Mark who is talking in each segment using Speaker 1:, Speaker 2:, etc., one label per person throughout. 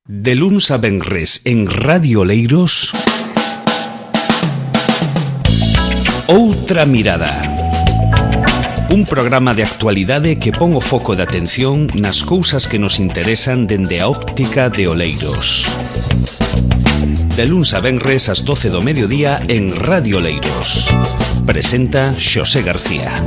Speaker 1: De luns a venres en Radio Oleiros, Outra Mirada. Un programa de actualidade que pon o foco de atención nas cousas que nos interesan dende a óptica de Oleiros. De luns a venres ás 12 do mediodía en Radio Oleiros. Presenta Xosé García.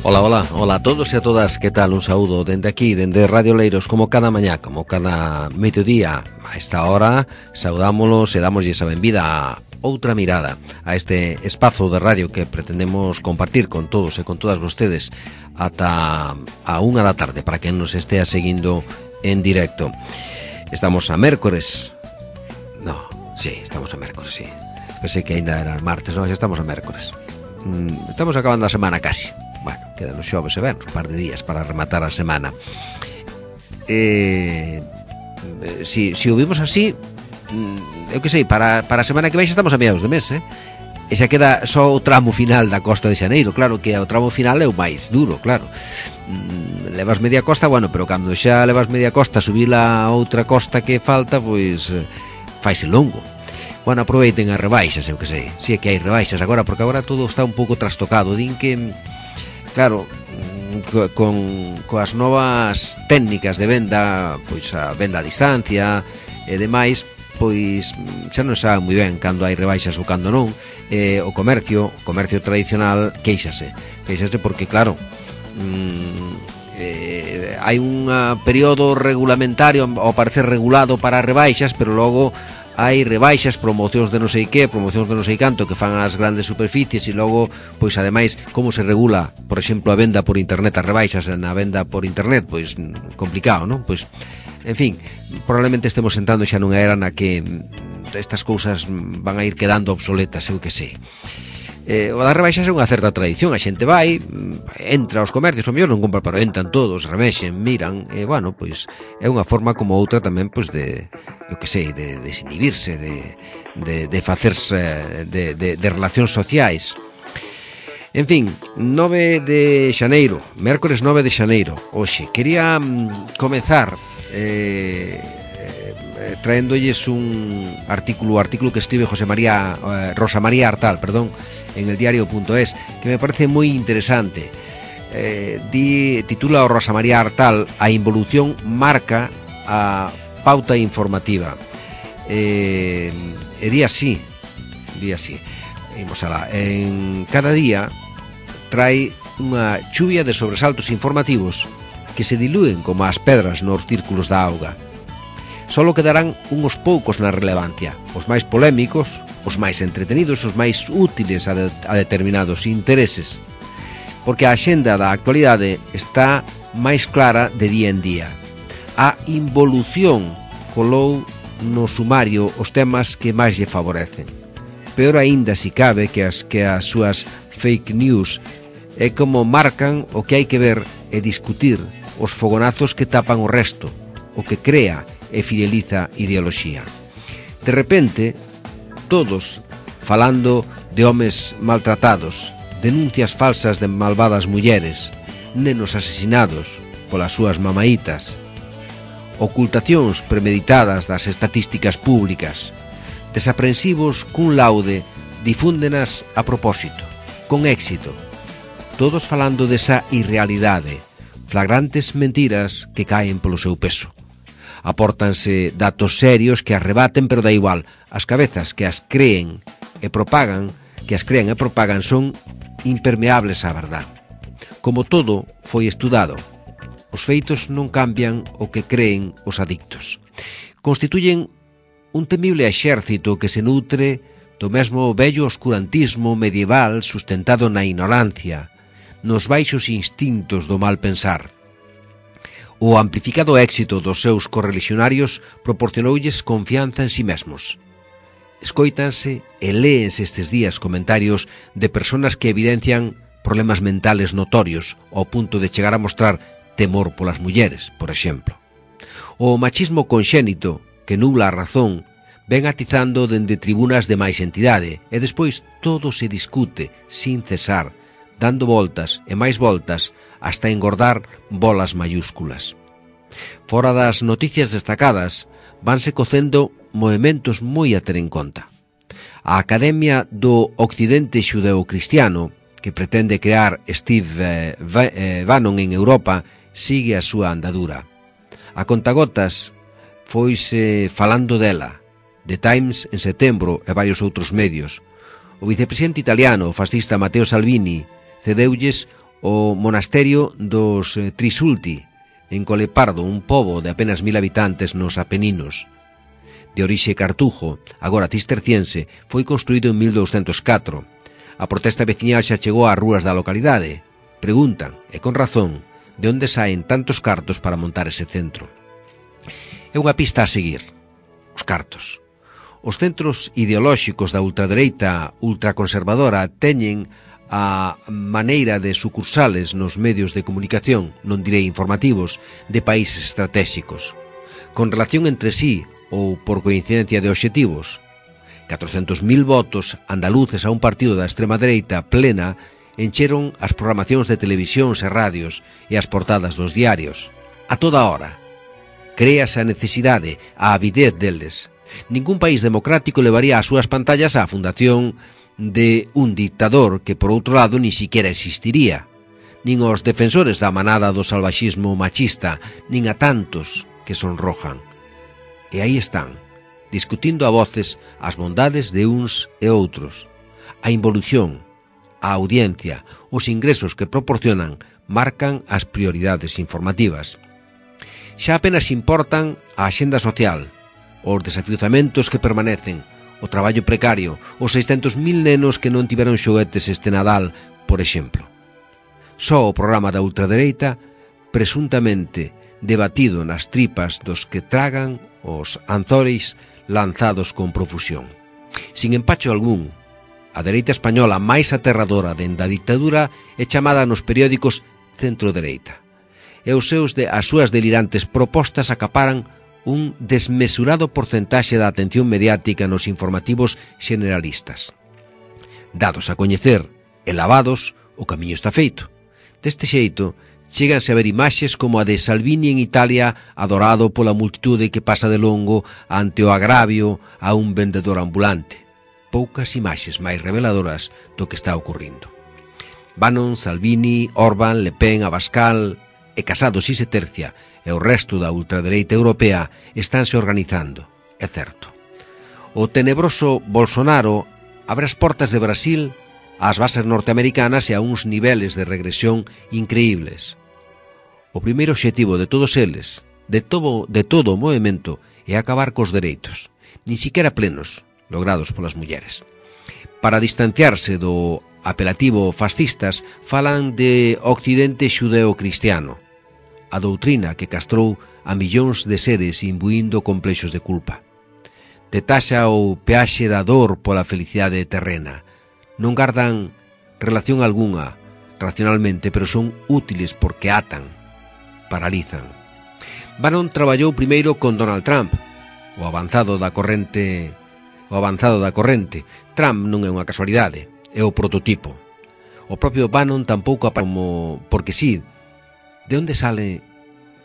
Speaker 2: Hola a todos e a todas, que tal? Un saúdo dende aquí, dende Radio Oleiros, como cada mañá, como cada mediodía. A esta hora saudámolos e damoslle esa benvida a Outra Mirada, a este espazo de radio que pretendemos compartir con todos e con todas vostedes ata a 1 da tarde, para que nos estea seguindo en directo. Estamos a mércores. Estamos a mércores, sí. Pensei que ainda era martes, xa estamos a mércores. Estamos acabando a semana casi. Bueno, quedan os xoves e venres, un par de días para rematar a semana. Si o vimos así, eu que sei, para a semana que vai xa estamos a mediados de mes, E xa queda só o tramo final da costa de Xaneiro. Claro que o tramo final é o máis duro, claro. Levas media costa, bueno, pero cando xa levas media costa, subir a outra costa que falta, pois faise longo. Bueno, aproveiten as rebaixas, eu que sei. Si é que hai rebaixas agora, porque agora todo está un pouco trastocado. Din que, claro, coas novas técnicas de venda, pois a venda a distancia e demais, pois xa non sabe moi ben cando hai rebaixas ou cando non. O comercio tradicional queixase porque, claro, hai un período regulamentario, ao parecer regulado para rebaixas, pero logo hai rebaixas, promocións de non sei que, promocións de non sei canto que fan as grandes superficies, e logo, pois ademais, como se regula, por exemplo, a venda por internet, as rebaixas na venda por internet, pois complicado, non? Pois, en fin, probablemente estemos entrando xa nunha era na que estas cousas van a ir quedando obsoletas, eu que sei. O das rebaixas é unha certa tradición, a xente vai, entra aos comercios, o mellor non compra, pero entran todos, remexen, miran, e, bueno, pois é unha forma como outra tamén, pois, de, eu que sei, de desinhibirse, de facerse, de relacións sociais. En fin, 9 de xaneiro, mércores 9 de xaneiro, hoxe. Quería comezar traéndolles un artículo que escribe Rosa María Artal, en el diario.es, que me parece moi interesante. Titula o Rosa María Artal: a involución marca a pauta informativa. Di así. Imos alá. En cada día trae unha chuvia de sobresaltos informativos que se dilúen como as pedras nos círculos da auga. Solo quedarán uns poucos na relevancia, os máis polémicos, os máis entretenidos, os máis útiles a determinados intereses, porque a axenda da actualidade está máis clara de día en día. A involución colou no sumario os temas que máis lle favorecen. Peor aínda, si cabe, que as súas fake news, é como marcan o que hai que ver e discutir, os fogonazos que tapan o resto, o que crea e fideliza ideoloxía. De repente, todos falando de homes maltratados, denuncias falsas de malvadas mulleres, nenos asesinados polas súas mamaítas, ocultacións premeditadas das estatísticas públicas, desaprensivos cun laude difúndenas a propósito, con éxito, todos falando desa irrealidade, flagrantes mentiras que caen polo seu peso. Apórtanse datos serios que as rebaten, pero da igual. As cabezas que as creen e propagan son impermeables á verdad. Como todo foi estudado, os feitos non cambian o que creen os adictos. Constituyen un temible exército que se nutre do mesmo vello oscurantismo medieval sustentado na ignorancia, nos baixos instintos do mal pensar. O amplificado éxito dos seus correligionarios proporcionoulles confianza en si mesmos. Escóitanse e léense estes días comentarios de personas que evidencian problemas mentales notorios ao punto de chegar a mostrar temor polas mulleres, por exemplo. O machismo conxénito, que nubla a razón, ven atizando dende tribunas de máis entidade e despois todo se discute sin cesar, dando voltas e máis voltas hasta engordar bolas mayúsculas. Fora das noticias destacadas, vanse cocendo movementos moi a ter en conta. A Academia do Occidente Xudeo-Cristiano, que pretende crear Steve Bannon en Europa, sigue a súa andadura. A contagotas foise falando dela, The Times en setembro e varios outros medios. O vicepresidente italiano, o fascista Matteo Salvini, cedeulles o monasterio dos Trisulti, en Colepardo, un pobo de apenas 1000 habitantes nos Apeninos. De orixe cartujo, agora cisterciense, foi construído en 1204. A protesta veciñal xa chegou ás rúas da localidade. Preguntan, e con razón, de onde saen tantos cartos para montar ese centro. É unha pista a seguir. Os cartos. Os centros ideolóxicos da ultradereita ultraconservadora teñen a maneira de sucursales nos medios de comunicación, non direi informativos, de países estratégicos, con relación entre sí ou por coincidencia de obxectivos. 400.000 votos andaluces a un partido da extrema dereita plena encheron as programacións de televisións e radios e as portadas dos diarios. A toda hora. Créase a necesidade, a avidez deles. Ningún país democrático levaría as súas pantallas á fundación de un dictador que, por outro lado, ni siquiera existiría. Nin os defensores da manada do salvaxismo machista, nin a tantos que sonrojan. E aí están, discutindo a voces as bondades de uns e outros. A involución, a audiencia, os ingresos que proporcionan marcan as prioridades informativas. Xa apenas importan a axenda social, os desafiuzamentos que permanecen, o traballo precario, os 600.000 nenos que non tiveron xoguetes este Nadal, por exemplo. Só o programa da ultradereita, presuntamente debatido nas tripas dos que tragan os anzores lanzados con profusión. Sin empacho algún, a dereita española máis aterradora dende a dictadura é chamada nos periódicos centro-dereita. E as súas delirantes propostas acaparan un desmesurado porcentaxe da atención mediática nos informativos generalistas. Dados a coñecer e lavados, o camiño está feito. Deste xeito, cheganse a ver imaxes como a de Salvini en Italia, adorado pola multitude que pasa de longo ante o agravio a un vendedor ambulante. Poucas imaxes máis reveladoras do que está ocurrindo. Bannon, Salvini, Orbán, Le Pen, Abascal e Casado si se tercia, e o resto da ultradereita europea estánse organizando, é certo. O tenebroso Bolsonaro abre as portas de Brasil ás bases norteamericanas e a uns niveles de regresión increíbles. O primeiro obxectivo de todos eles, de todo o movimento, é acabar cos dereitos, nin siquiera plenos, logrados polas mulleres. Para distanciarse do apelativo fascistas, falan de Occidente xudeo-cristiano, a doutrina que castrou a millóns de seres imbuindo complexos de culpa. Detaxa o peaxe da dor pola felicidade terrena. Non gardan relación algunha racionalmente, pero son útiles porque atan, paralizan. Bannon traballou primeiro con Donald Trump, o avanzado da corrente. Trump non é unha casualidade, é o prototipo. O propio Bannon tampouco porque sí. De onde sale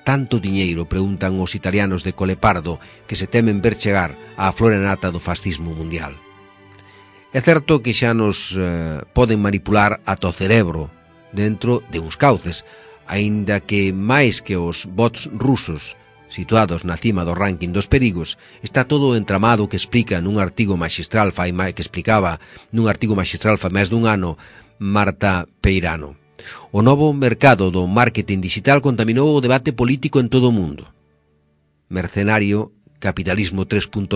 Speaker 2: tanto diñeiro, preguntan os italianos de Colepardo, que se temen ver chegar á flora nata do fascismo mundial. É certo que xa nos poden manipular ata o cerebro dentro de uns cauces, aínda que máis que os bots rusos situados na cima do ranking dos perigos, está todo o entramado que explica nun artigo maxistral fai máis dun ano Marta Peirano. O novo mercado do marketing digital contaminou o debate político en todo o mundo. Mercenario, capitalismo 3.0,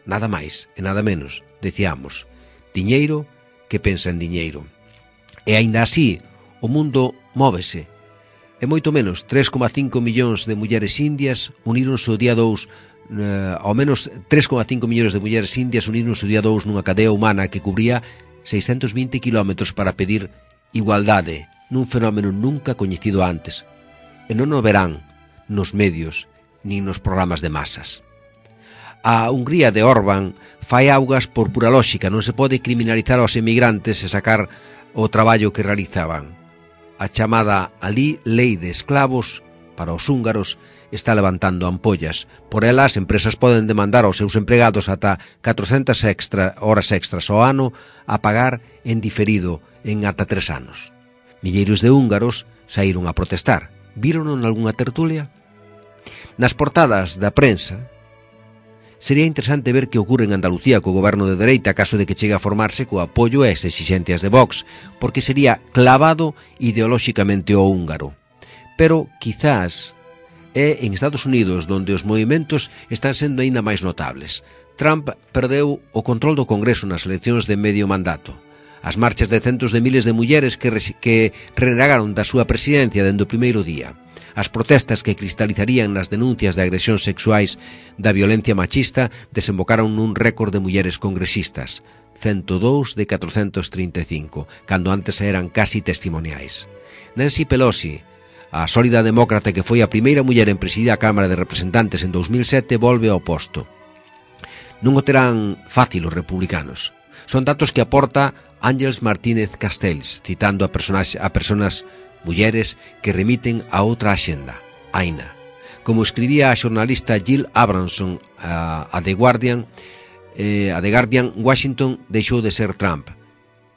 Speaker 2: nada máis e nada menos, decíamos. Diñeiro que pensa en diñeiro. E aínda así, o mundo móvese. E moito menos, 3,5 millóns de mulleres indias uníronse o día 2, ao menos 3,5 millóns de mulleres indias uníronse o día 2 nunha cadea humana que cubría 620 kilómetros para pedir igualdade nun fenómeno nunca coñecido antes, e non o verán nos medios nin nos programas de masas. A Hungría de Orbán fai augas por pura lóxica, non se pode criminalizar aos emigrantes e sacar o traballo que realizaban. A chamada alí lei de esclavos para os húngaros está levantando ampollas. Por ela, as empresas poden demandar aos seus empregados ata 400 horas extras ao ano a pagar en diferido en ata 3 anos. Milleiros de húngaros saíron a protestar. Vírono en algunha tertulia? Nas portadas da prensa, sería interesante ver que ocorre en Andalucía co goberno de dereita caso de que chegue a formarse co apoio e as exixencias de Vox, porque sería clavado ideolóxicamente ao húngaro. Pero, quizás, é en Estados Unidos donde os movimentos están sendo aínda máis notables. Trump perdeu o control do Congreso nas eleccións de medio mandato. As marchas de centos de miles de mulleres que renegaron da súa presidencia dende o primeiro día. As protestas que cristalizarían nas denuncias de agresións sexuais da violencia machista desembocaron nun récord de mulleres congresistas, 102 de 435, cando antes eran casi testimoniais. Nancy Pelosi, a sólida demócrata que foi a primeira muller en presidir a Cámara de Representantes en 2007, volve ao posto. Non o terán fácil os republicanos. Son datos que aporta Ángels Martínez Castells, citando a personas mulleres que remiten a outra axenda, Aina. Como escribía a xornalista Jill Abramson a The Guardian, Washington deixou de ser Trump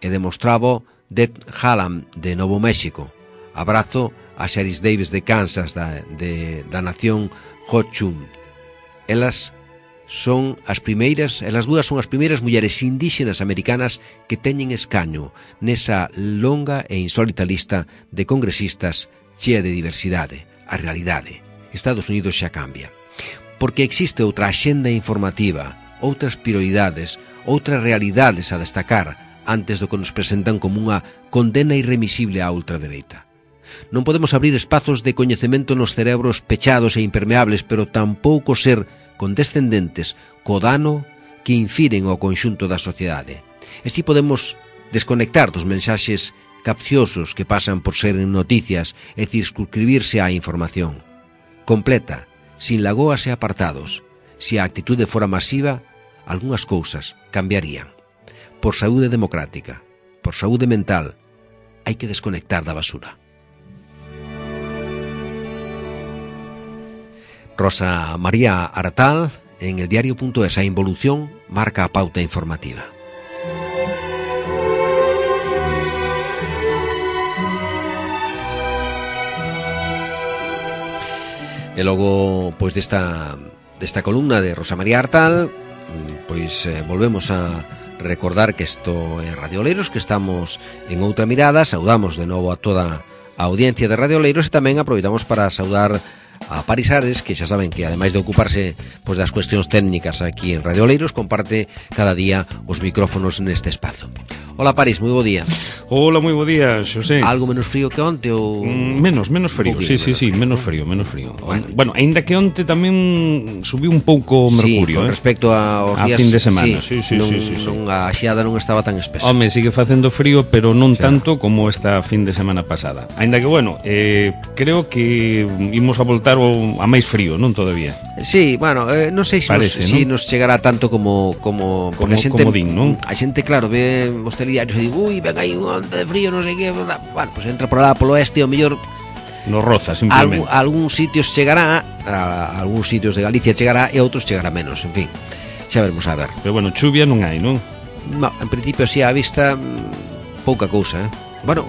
Speaker 2: e demostraba Deb Haaland de Novo México. Abrazo a Sharice Davies de Kansas da nación Ho-Chunk. Elas dúas son as primeiras mulleres indígenas americanas que teñen escaño nesa longa e insólita lista de congresistas chea de diversidade. A realidade. Estados Unidos xa cambia. Porque existe outra axenda informativa, outras prioridades, outras realidades a destacar antes do que nos presentan como unha condena irremisible á ultradereita. Non podemos abrir espazos de coñecemento nos cerebros pechados e impermeables, pero tampouco ser condescendentes co dano que infiren ao conxunto da sociedade. E si podemos desconectar dos mensaxes capciosos que pasan por ser noticias e circunscribirse á información. Completa, sin lagoas e apartados. Se a actitude fora masiva, algunhas cousas cambiarían. Por saúde democrática, por saúde mental, hai que desconectar da basura. Rosa María Artal, en el diario.es, a involución marca a pauta informativa. E logo, pois desta columna de Rosa María Artal, pois volvemos a recordar que isto é Radio Oleiros, que estamos en Outra Mirada. Saudamos de novo a toda a audiencia de Radio Oleiros e tamén aproveitamos para saudar a Paris Ares, que xa saben que ademais de ocuparse pois das cuestións técnicas aquí en Radio Oleiros, comparte cada día os micrófonos neste espazo. Hola Paris, moi bo día.
Speaker 1: Hola, moi bo día, Xosé.
Speaker 2: Algo menos frío que onte ou
Speaker 1: menos frío, sí, menos frío. Bueno, aínda que onte tamén subiu un pouco o mercurio,
Speaker 2: con respecto aos días
Speaker 1: a fin de semana. Sí.
Speaker 2: Non a xiada non estaba tan espesa.
Speaker 1: Home, sigue facendo frío, pero non tanto como esta fin de semana pasada. Aínda que bueno, creo que imos a voltar a máis frío, non todavía.
Speaker 2: Sí, bueno, non sei se nos chegará tanto como a xente,
Speaker 1: din, non?
Speaker 2: A xente, claro, ve os telediarios e di, ui, ven aí unha onda de frío, non sei que, bueno, pues entra por lá polo oeste, o mellor
Speaker 1: nos roza, simplemente.
Speaker 2: Algúns sitios chegará, a algúns sitios de Galicia chegará e outros chegará menos, en fin, xa veremos a ver.
Speaker 1: Pero bueno, chuvia non hai, non?
Speaker 2: No, en principio, si a vista, pouca cousa, Bueno,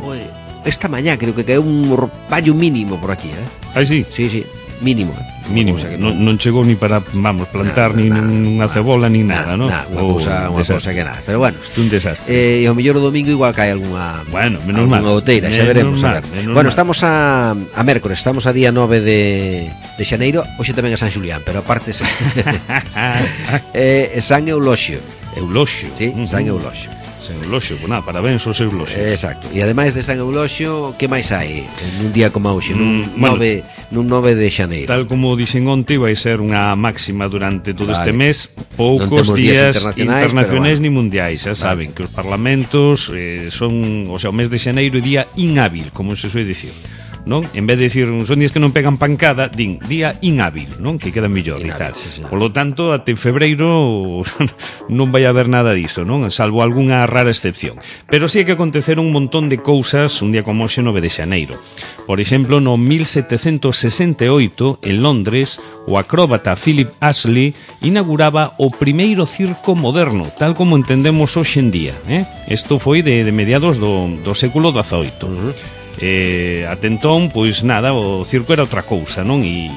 Speaker 2: esta mañá creo que caeu un rayo mínimo por aquí,
Speaker 1: Ah, sí?
Speaker 2: Sí, mínimo.
Speaker 1: Mínimo, non chegou ni para, plantar ni unha cebola ni nada, non?
Speaker 2: Unha cousa que nada, pero bueno,
Speaker 1: un desastre.
Speaker 2: E ao mellor o domingo igual cae algunha
Speaker 1: menos mal,
Speaker 2: goteira, xa veremos, a ver. Bueno, estamos a mércores, estamos a día 9 de xaneiro, hoxe tamén é San Xulián, pero aparte San Euloxio.
Speaker 1: Euloxio?
Speaker 2: Sí, San Euloxio.
Speaker 1: San Euloxio, pues nada, parabéns aos Euloxios.
Speaker 2: Exacto, e ademais de San Euloxio, que máis hai nun día como hoxe, nun 9 de xaneiro?
Speaker 1: Tal como dixen onte, vai ser unha máxima durante todo este mes, poucos días internacionais ni mundiais, xa saben que os parlamentos son, o sea, o mes de xaneiro é día inhábil, como se soe dicir. non? En vez de dicir son días que non pegan pancada, din día inhábil, non? Que queda mellor e tal.
Speaker 2: Sí.
Speaker 1: Polo tanto, até febreiro non vai haber nada diso, non? Salvo algunha rara excepción. Pero sí que aconteceron un montón de cousas un día como hoxe 9 de xaneiro. Por exemplo, no 1768, en Londres, o acróbata Philip Astley inauguraba o primeiro circo moderno, tal como entendemos hoxe en día. Isto foi de mediados do século XVIII. Até entón, pois nada, o circo era outra cousa, non? E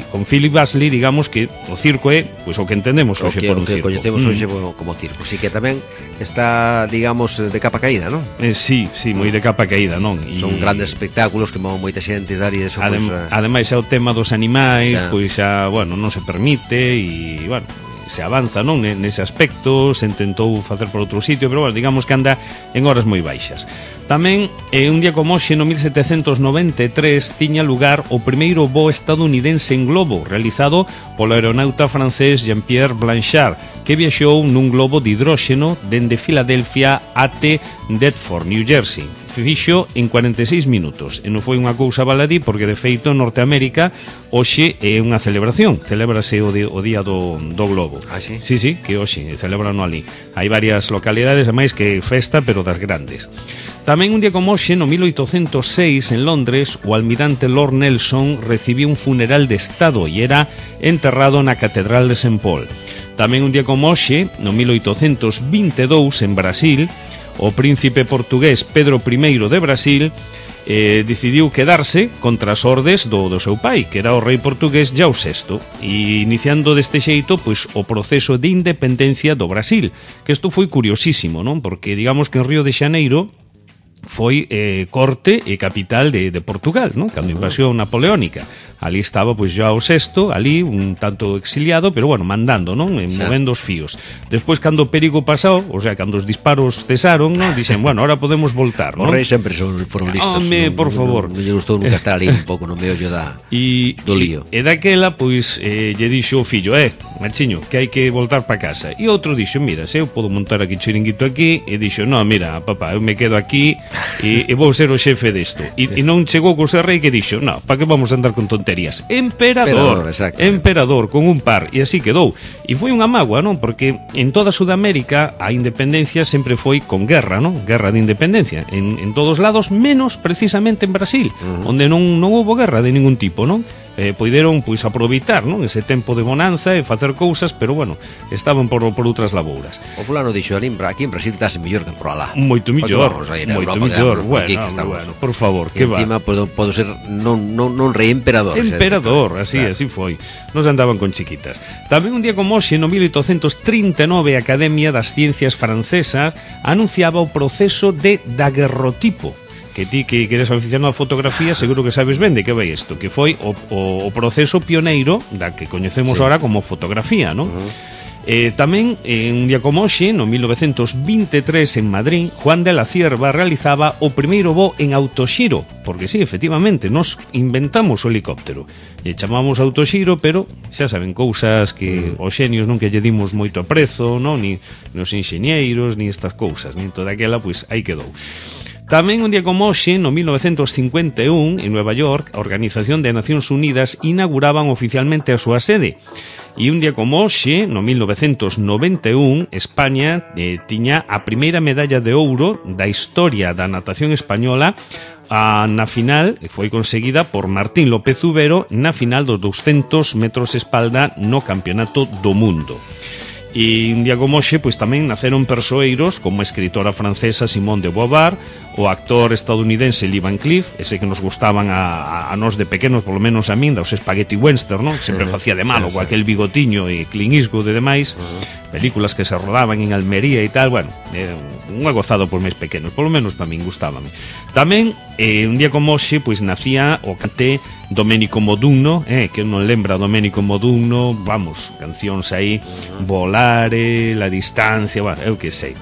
Speaker 1: con Philip Astley, digamos que o circo é pois o que entendemos hoxe por un circo.
Speaker 2: O que coñecemos hoxe como circo. Si que tamén está, digamos, de capa caída, non?
Speaker 1: Sí, moi de capa caída, non?
Speaker 2: Son grandes espectáculos que move moita xente e tal, e eso,
Speaker 1: ademais, xa o tema dos animais, pois xa, bueno, non se permite e, bueno, se avanza, non, nese aspecto, se intentou facer por outro sitio, pero, bueno, digamos que anda en horas moi baixas. Tamén, un día como hoxe, no 1793, tiña lugar o primeiro voo estadounidense en globo, realizado polo aeronauta francés Jean-Pierre Blanchard, que viaxou nun globo de hidróxeno dende Filadelfia até Deptford, New Jersey. Fixo en 46 minutos. E non foi unha cousa baladí, porque, de feito, en Norteamérica, hoxe é unha celebración. Celébrase o día do globo.
Speaker 2: Ah, sí?
Speaker 1: Sí, que hoxe celebran ali. Hai varias localidades, ademais, que festa, pero das grandes. Tamén un día como hoxe, no 1806, en Londres, o almirante Lord Nelson recibiu un funeral de Estado e era enterrado na Catedral de St. Paul. Tamén un día como hoxe, no 1822, en Brasil, o príncipe portugués Pedro I de Brasil decidiu quedarse contra as ordes do seu pai, que era o rei portugués Jau VI, e iniciando deste xeito pois o proceso de independencia do Brasil, que isto foi curiosísimo, non? Porque digamos que en Río de Xaneiro foi corte e capital de Portugal, non? Cando invasión napoleónica. Ali estaba pois João VI, ali un tanto exiliado, pero bueno, mandando, non? Movendo os fíos. Despois, cando o perigo pasou, o sea, cando os disparos cesaron, non? Dixen, bueno, ahora podemos voltar, non?
Speaker 2: Os reis sempre foron listos.
Speaker 1: Por favor.
Speaker 2: Non lle gustou nunca estar ali un pouco no meollo do lío.
Speaker 1: E daquela, pois, lle dixo o fillo, machiño, que hai que voltar para casa. E outro dixo, mira, se eu podo montar aquí chiringuito aquí, e dixo, no, mira, papá, eu me quedo aquí e vou ser o xefe desto. E non chegou co ser rei que dixo, no, para que vamos a andar con tonterías? Emperador, con un par, e así quedou. E foi unha mágoa, non? Porque en toda Sudamérica a independencia sempre foi con guerra, non? Guerra de independencia, en todos lados, menos precisamente en Brasil, onde non houbo guerra de ningún tipo, non? Poideron pois aproveitar, non, ese tempo de bonanza e facer cousas, pero bueno, estaban por outras labouras.
Speaker 2: O fulano dixo, aquí en Brasil estase mellor que por alá.
Speaker 1: Moito mellor, bueno, por favor, que va.
Speaker 2: Encima podo ser non rei, emperador.
Speaker 1: Emperador, así foi. Nos andaban con chiquitas. Tamén un día como hoxe, no 1839, a Academia das Ciencias Francesas anunciaba o proceso de daguerrotipo, que ti que eres aficionado a fotografía seguro que sabes ben de que vai isto, que foi o proceso pioneiro da que coñecemos ahora como fotografía, non? Tamén, un día como hoxe, no 1923, en Madrid, Juan de la Cierva realizaba o primeiro voo en autoxiro, porque sí, efectivamente, nos inventamos o helicóptero. E chamamos autoxiro, pero xa saben, cousas que os xenios non que lle dimos moito aprezo, non? Ni os enxeñeiros, ni estas cousas, ni toda aquela, pois aí quedou. Tamén un día como hoxe, no 1951, en Nueva York, a Organización de Nacións Unidas inauguraban oficialmente a súa sede. E un día como hoxe, no 1991, España tiña a primeira medalla de ouro da historia da natación española na final, foi conseguida por Martín López Ubero na final dos 200 metros espalda no Campeonato do Mundo. E un día como hoxe, pois tamén naceron persoeiros como a escritora francesa Simone de Beauvoir, o actor estadounidense Lee Van Cleef, ese que nos gustaban a nós de pequenos, polo menos a min, dos spaghetti western, non? Sempre facía de malo, co aquel bigotiño e Clint Eastwood e demais, películas que se rodaban en Almería e tal, bueno, unha gozado por máis pequenos, polo menos para min gustábame. Tamén, un día como hoxe, pois nacía o cante Domenico Modugno, que non lembra Domenico Modugno, vamos, cancións aí, Volare, La Distancia, bueno, eu que sei.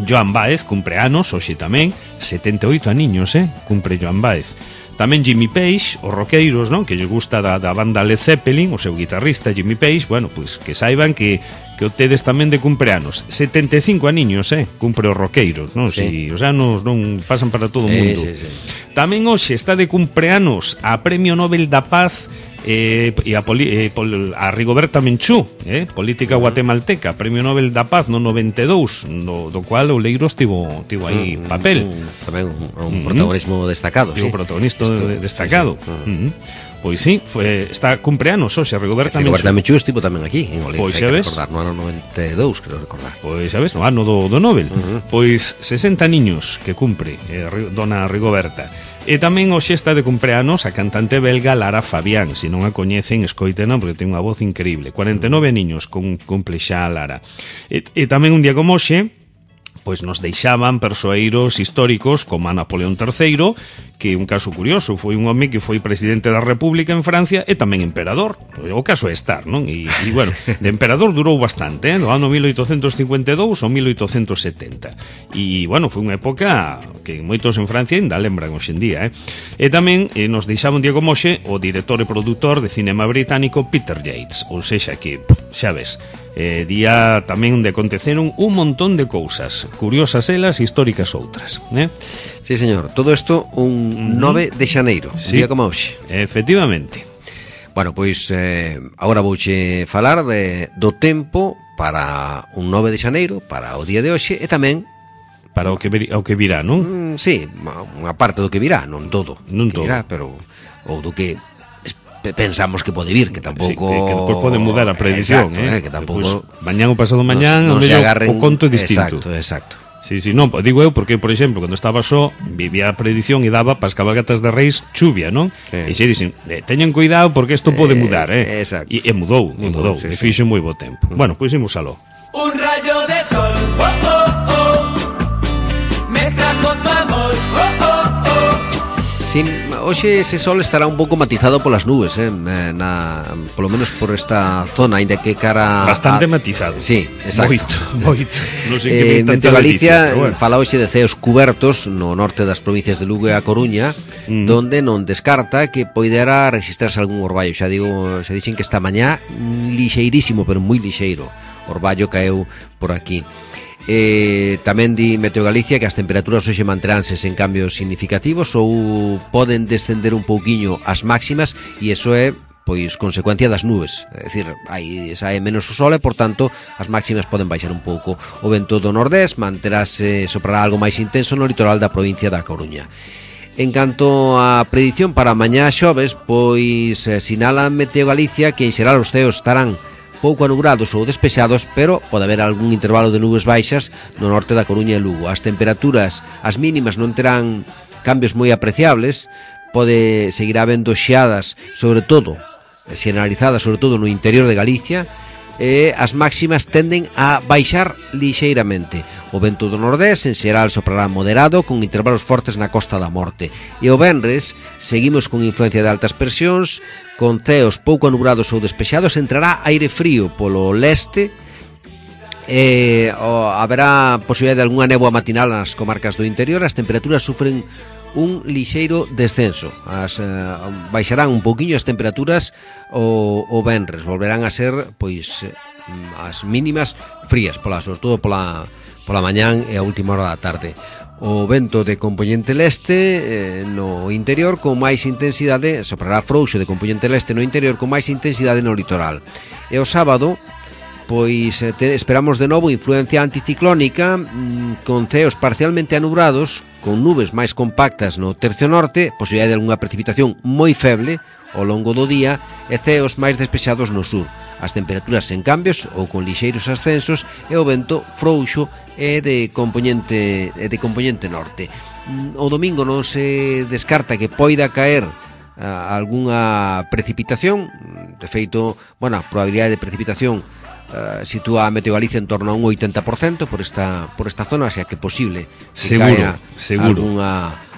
Speaker 1: Joan Baez cumpre anos, hoxe tamén, 78 aniños, cumpre Joan Baez. Tamén Jimmy Page, os roqueiros, non? Que lle gusta da banda Led Zeppelin, o seu guitarrista Jimmy Page, bueno, pois que saiban que o tedes tamén de cumpleanos. 75 aniños, cumpre os roqueiros, non?
Speaker 2: Sí.
Speaker 1: Si os anos non pasan para todo o mundo.
Speaker 2: Sí.
Speaker 1: Tamén hoxe está de cumpleanos a Premio Nobel da Paz e a Rigoberta Menchú, política guatemalteca, Premio Nobel da Paz no 92, do cual o Leiro estivo aí papel.
Speaker 2: Tamén un protagonismo destacado,
Speaker 1: sí. Protagonista destacado. Pois sí, está cumpleanos hoxe Rigoberta
Speaker 2: Menchú estivo tamén aquí en Oleiros,
Speaker 1: pois xa ves,
Speaker 2: recordar, no ano 92, creo recordar.
Speaker 1: Pois xa ves, no ano do Nobel. Pois 60 niños que cumpre dona Rigoberta. E tamén hoxe está de cumpleanos a cantante belga Lara Fabián. Se non a coñecen, escoitena, porque ten unha voz increíble. 49 niños cumple xa a Lara. E tamén un día como hoxe, pois nos deixaban persoeiros históricos como a Napoleón III, que un caso curioso, foi un home que foi presidente da República en Francia e tamén emperador. O caso é estar, non? E bueno, de emperador durou bastante, no ano 1852 ou 1870. E bueno, foi unha época que moitos en Francia ainda lembran hoxe en día, E tamén nos deixaba un día como hoxe o director e produtor de cinema británico Peter Yates, ou sexa que, xa ves, día tamén onde aconteceron un montón de cousas, curiosas elas, históricas outras,
Speaker 2: Sí, señor, todo isto un 9 de xaneiro, sí, un día como hoxe.
Speaker 1: Efectivamente.
Speaker 2: Bueno, pois agora vouche falar do tempo para un 9 de xaneiro, para o día de hoxe, e tamén
Speaker 1: para o que virá, non?
Speaker 2: Sí, unha parte do que virá, non todo.
Speaker 1: Non todo.
Speaker 2: Virá, pero ou do que pensamos que pode vir, que tampouco...
Speaker 1: Sí, que despois pode mudar a predicción,
Speaker 2: que tampouco...
Speaker 1: Pues, mañán ou pasado mañán, o conto é distinto.
Speaker 2: Exacto.
Speaker 1: Sí, non, digo eu porque, por exemplo, cando estaba só, vivía a predicción e daba para as cabalgatas de Reis chuvia, non? E xe dixen, teñan cuidado porque isto pode mudar,
Speaker 2: Exacto.
Speaker 1: E mudou,
Speaker 2: sí,
Speaker 1: e fixo moi bo tempo. Bueno, pois imos aló.
Speaker 3: Un rayo de sol, oh, oh, oh, me trajo tu amor, oh, oh, oh.
Speaker 2: Sí, hoxe ese sol estará un pouco matizado polas nubes, polo menos por esta zona, ainda que cara...
Speaker 1: Bastante matizado.
Speaker 2: Sí, exacto.
Speaker 1: Moito. Non sei que
Speaker 2: Meteo Galicia fala hoxe de ceos cubertos no norte das provincias de Lugo e a Coruña, donde non descarta que poidera registrarse algún orballo. Xa dixen que esta mañá lixeirísimo, pero moi lixeiro, orballo caeu por aquí. Tamén di Meteo Galicia que as temperaturas hoxe manteránse sen cambios significativos ou poden descender un pouquiño as máximas, e iso é pois consecuencia das nubes, é dicir, sae menos o sol e por tanto as máximas poden baixar un pouco. O vento do nordés manterase, soprará algo máis intenso no litoral da provincia da Coruña. En canto á predición para mañá xoves, pois sinala Meteo Galicia que en xeral os ceos estarán pouco anubrados ou despexados, pero pode haber algún intervalo de nubes baixas no norte da Coruña e Lugo. As temperaturas, as mínimas non terán cambios moi apreciables, pode seguir habendo xeadas, sobre todo, xeneralizadas, sobre todo no interior de Galicia, e as máximas tenden a baixar lixeiramente. O vento do nordés en xeral soprará moderado con intervalos fortes na Costa da Morte. E o venres seguimos con influencia de altas presións, con ceos pouco anubrados ou despexados, entrará aire frío polo leste, haberá posibilidade de algunha néboa matinal nas comarcas do interior. As temperaturas sufren un lixeiro descenso, baixarán un pouquiño as temperaturas o venres, volverán a ser pois as mínimas frías, sobre todo pola mañán e a última hora da tarde. O vento de compoñente leste no interior con máis intensidade, soprará frouxo de compoñente leste no interior con máis intensidade no litoral. E o sábado pois esperamos de novo influencia anticiclónica, con ceos parcialmente anubrados, con nubes máis compactas no tercio norte, posibilidade de algunha precipitación moi feble ao longo do día, e ceos máis despexados no sur. As temperaturas sen cambios ou con lixeiros ascensos, e o vento frouxo e de compoñente norte. O domingo non se descarta que poida caer algunha precipitación. De feito, a probabilidade de precipitación sitúa a Meteo Galicia en torno a un 80% por esta zona, o sea que é posible que caia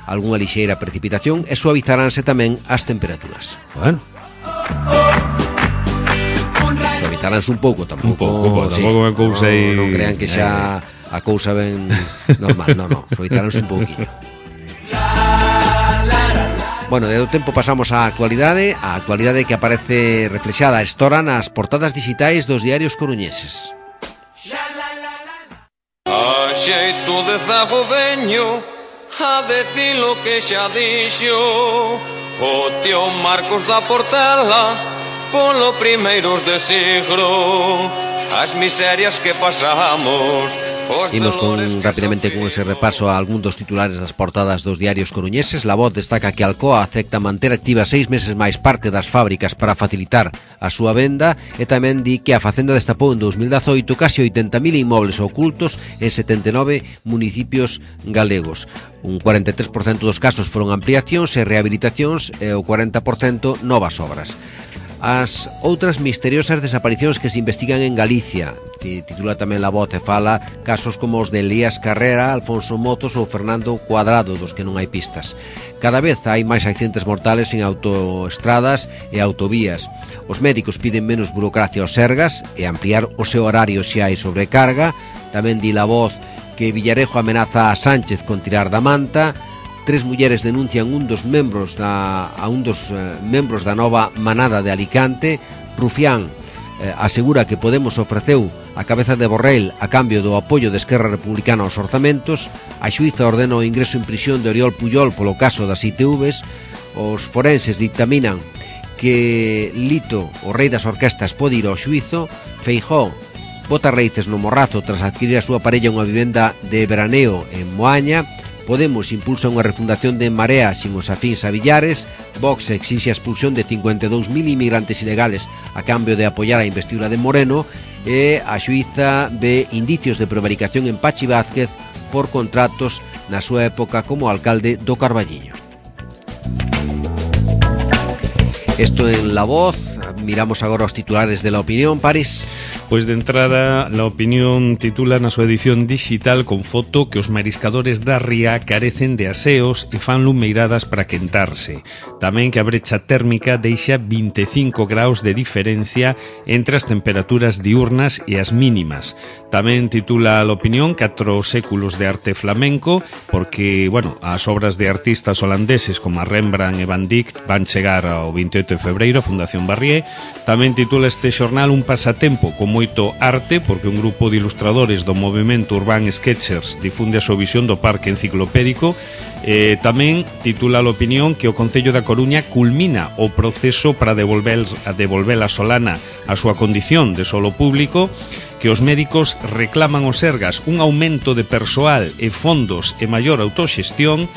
Speaker 2: algunha lixeira precipitación, e suavizaránse tamén as temperaturas.
Speaker 1: Bueno,
Speaker 2: suavizaránse un pouco, tampouco
Speaker 1: é cousa aí.
Speaker 2: Non crean que xa a cousa ben normal, non, suavizaránse un pouquinho. Bueno, do tempo pasamos á actualidade que aparece reflexada estora nas portadas digitais dos diarios coruñeses.
Speaker 3: A xeito de zago veño,
Speaker 4: a decir lo que xa dixo o tío Marcos da Portela polo primeiros de siglo, as miserias que pasamos.
Speaker 2: Imos rapidamente con ese repaso a algún dos titulares das portadas dos diarios coruñeses. La Voz destaca que Alcoa acepta manter activa 6 meses máis parte das fábricas para facilitar a súa venda, e tamén di que a Facenda destapou en 2018 casi 80.000 inmobles ocultos en 79 municipios galegos. Un 43% dos casos foron ampliacións e rehabilitacións e o 40% novas obras. As outras misteriosas desaparicións que se investigan en Galicia. Titula tamén La Voz e fala casos como os de Elías Carrera, Alfonso Motos ou Fernando Cuadrado, dos que non hai pistas. Cada vez hai máis accidentes mortales en autoestradas e autovías. Os médicos piden menos burocracia aos sergas e ampliar o seu horario se hai sobrecarga. Tamén di La Voz que Villarejo amenaza a Sánchez con tirar da manta. 3 mulleres denuncian un dos membros da nova manada de Alicante. Rufián asegura que Podemos ofreceu a cabeza de Borrell a cambio do apoio de Esquerra Republicana aos orzamentos. A xuíza ordena o ingreso en prisión de Oriol Pujol polo caso das ITVs. Os forenses dictaminan que Lito, o rei das orquestas, pode ir ao xuízo. Feijóo bota raíces no Morrazo tras adquirir a súa parella unha vivenda de veraneo en Moaña. Podemos impulsa unha refundación de En Marea sin os afíns a Villares. Vox exixe a expulsión de 52.000 inmigrantes ilegales a cambio de apoiar a investidura de Moreno. E a xuíza ve indicios de prevaricación en Pachi Vázquez por contratos na súa época como alcalde do Carballiño. Isto en La Voz. Miramos agora os titulares de La Opinión, París.
Speaker 1: Pois de entrada, La Opinión titula na súa edición digital con foto que os mariscadores da ría carecen de aseos e fan lumeiradas para quentarse. Tamén que a brecha térmica deixa 25 graus de diferencia entre as temperaturas diurnas e as mínimas. Tamén titula La Opinión 4 séculos de arte flamenco, porque, as obras de artistas holandeses como Rembrandt e Van Dyck van chegar ao 28 de febreiro a Fundación Barrié. Tamén titula este xornal un pasatempo con moito arte, porque un grupo de ilustradores do movimento Urban Sketchers difunde a súa visión do parque enciclopédico. Tamén titula a Opinión que o Concello da Coruña culmina o proceso para devolver a Solana a súa condición de solo público, que os médicos reclaman aos Sergas un aumento de persoal e fondos e maior autoxestión.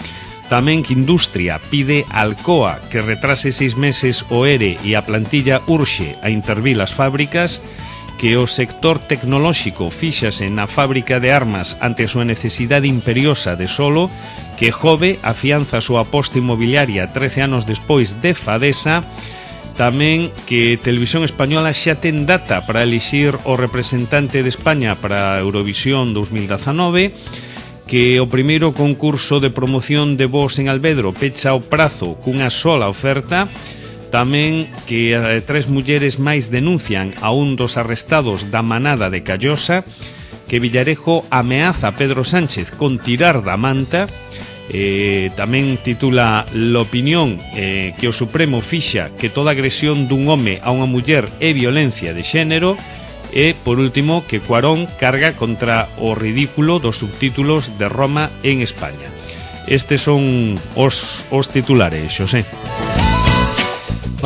Speaker 1: Tamén que Industria pide a Alcoa que retrase 6 meses o ERE e a plantilla urxe a intervir as fábricas, que o sector tecnolóxico fíxase na fábrica de armas ante a súa necesidade imperiosa de solo, que Jove afianza a súa aposta inmobiliaria 13 anos despois de Fadesa. Tamén que Televisión Española xa ten data para elixir o representante de España para Eurovisión 2019, que o primeiro concurso de promoción de voz en Alvedro pecha o prazo cunha sola oferta. Tamén que 3 mulleres máis denuncian a un dos arrestados da manada de Callosa, que Villarejo ameaza a Pedro Sánchez con tirar da manta. Tamén titula La Opinión que o Supremo fixa que toda agresión dun home a unha muller é violencia de xénero. E, por último, que Cuarón carga contra o ridículo dos subtítulos de Roma en España. Estes son os titulares, Xosé.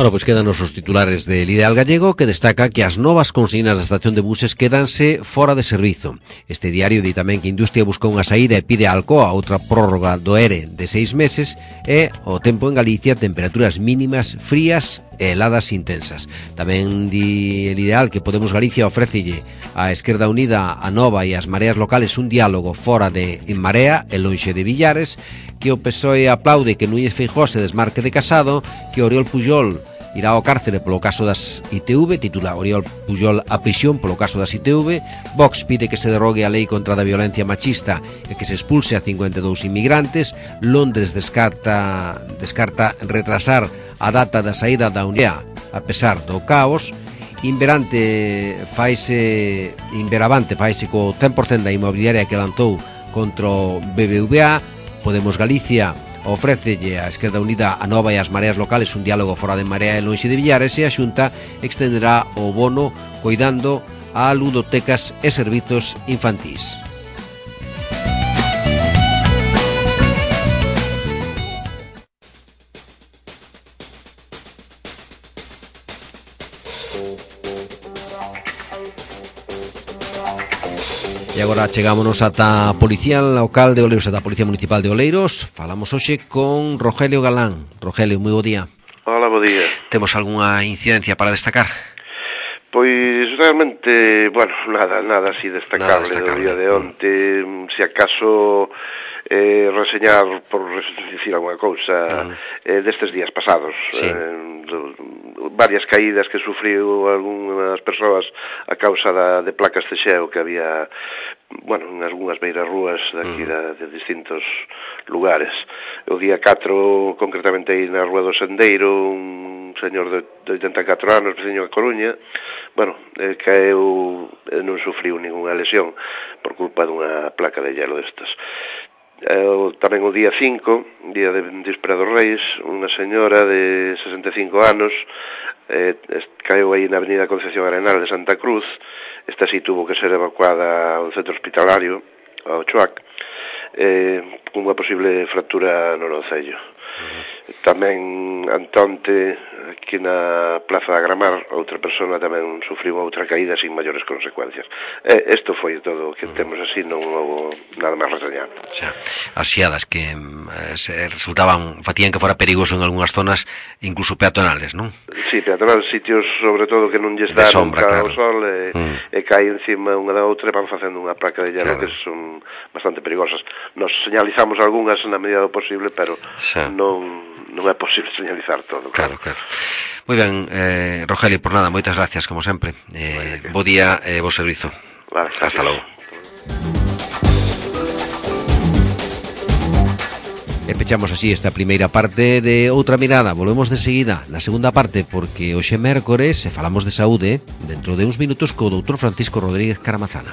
Speaker 2: Pois quedan os titulares del Ideal Gallego, que destaca que as novas consignas da estación de buses quedanse fora de servizo. Este diario di tamén que Industria busca unha saída e pide a Alcoa outra prórroga do ERE de 6 meses. E o tempo en Galicia, temperaturas mínimas frías e heladas intensas. Tamén di el Ideal que Podemos Galicia ofrécelle a Esquerda Unida, a Nova e as mareas locales un diálogo fora de En Marea e lonxe de Villares, que o PSOE aplaude que Núñez Feijóo se desmarque de Casado, que Oriol Pujol irá ao cárcere polo caso das ITV, titula Oriol Pujol a prisión polo caso das ITV. Vox pide que se derrogue a lei contra a violencia machista e que se expulse a 52 inmigrantes. Londres descarta retrasar a data da saída da Unión a pesar do caos. Inveravante faise co 100% da inmobiliaria que lanzou contra o BBVA. Podemos Galicia ofrécelle a Esquerda Unida, a Nova e as mareas locales un diálogo fora de Marea e lonxe de Villares, e a Xunta extenderá o bono coidando a ludotecas e servizos infantís. E agora chegámonos ata a Policía Local de Oleiros, ata a Policía Municipal de Oleiros. Falamos hoxe con Rogelio Galán. Rogelio, moi bo día.
Speaker 5: Hola, bo día.
Speaker 2: Temos algunha incidencia para destacar?
Speaker 5: Pois realmente, bueno, nada así destacable do día de onte. Se acaso reseñar, por dicir alguna cousa, destes días pasados.
Speaker 2: Sí.
Speaker 5: Varias caídas que sufriu algunhas persoas a causa de placas de xeo que había, bueno, en algunhas beiras rúas daqui de distintos lugares. O día 4, concretamente aí na Rúa do Sendeiro, un señor de 84 anos, veciño de Coruña, bueno, caeu, non sufriu ninguna lesión por culpa dunha placa de hielo destas. Tamén o día 5, día de Víspera dos Reis, unha señora de 65 anos caeu aí na avenida Concepción Arenal de Santa Cruz. Esta sí tuvo que ser evacuada ao centro hospitalario, ao Choac, cunha posible fractura no nocello. Tamén antonte, aquí na Plaza da Gramar, outra persona tamén sufriu outra caída sin maiores consecuencias. Isto foi todo o que temos así, non houve nada máis reseñar.
Speaker 2: Xa, as xiadas que facían que fora perigoso en algunhas zonas, incluso peatonales, non?
Speaker 5: Sí, peatonales, sitios sobre todo que non lles dá nunca ao sol e cae encima unha da outra e van facendo unha placa de hielo que son bastante perigosas. Nos señalizamos algunhas na medida do posible, pero non é posible señalizar todo.
Speaker 2: Claro. Moi ben, Rogelio, por nada, moitas gracias, como sempre. Bo día e bo servizo.
Speaker 5: Vale,
Speaker 2: hasta logo. E pechamos así esta primeira parte de Outra Mirada. Volvemos de seguida na segunda parte, porque hoxe mércores, se falamos de saúde, dentro de uns minutos co doutor Francisco Rodríguez Caramazana.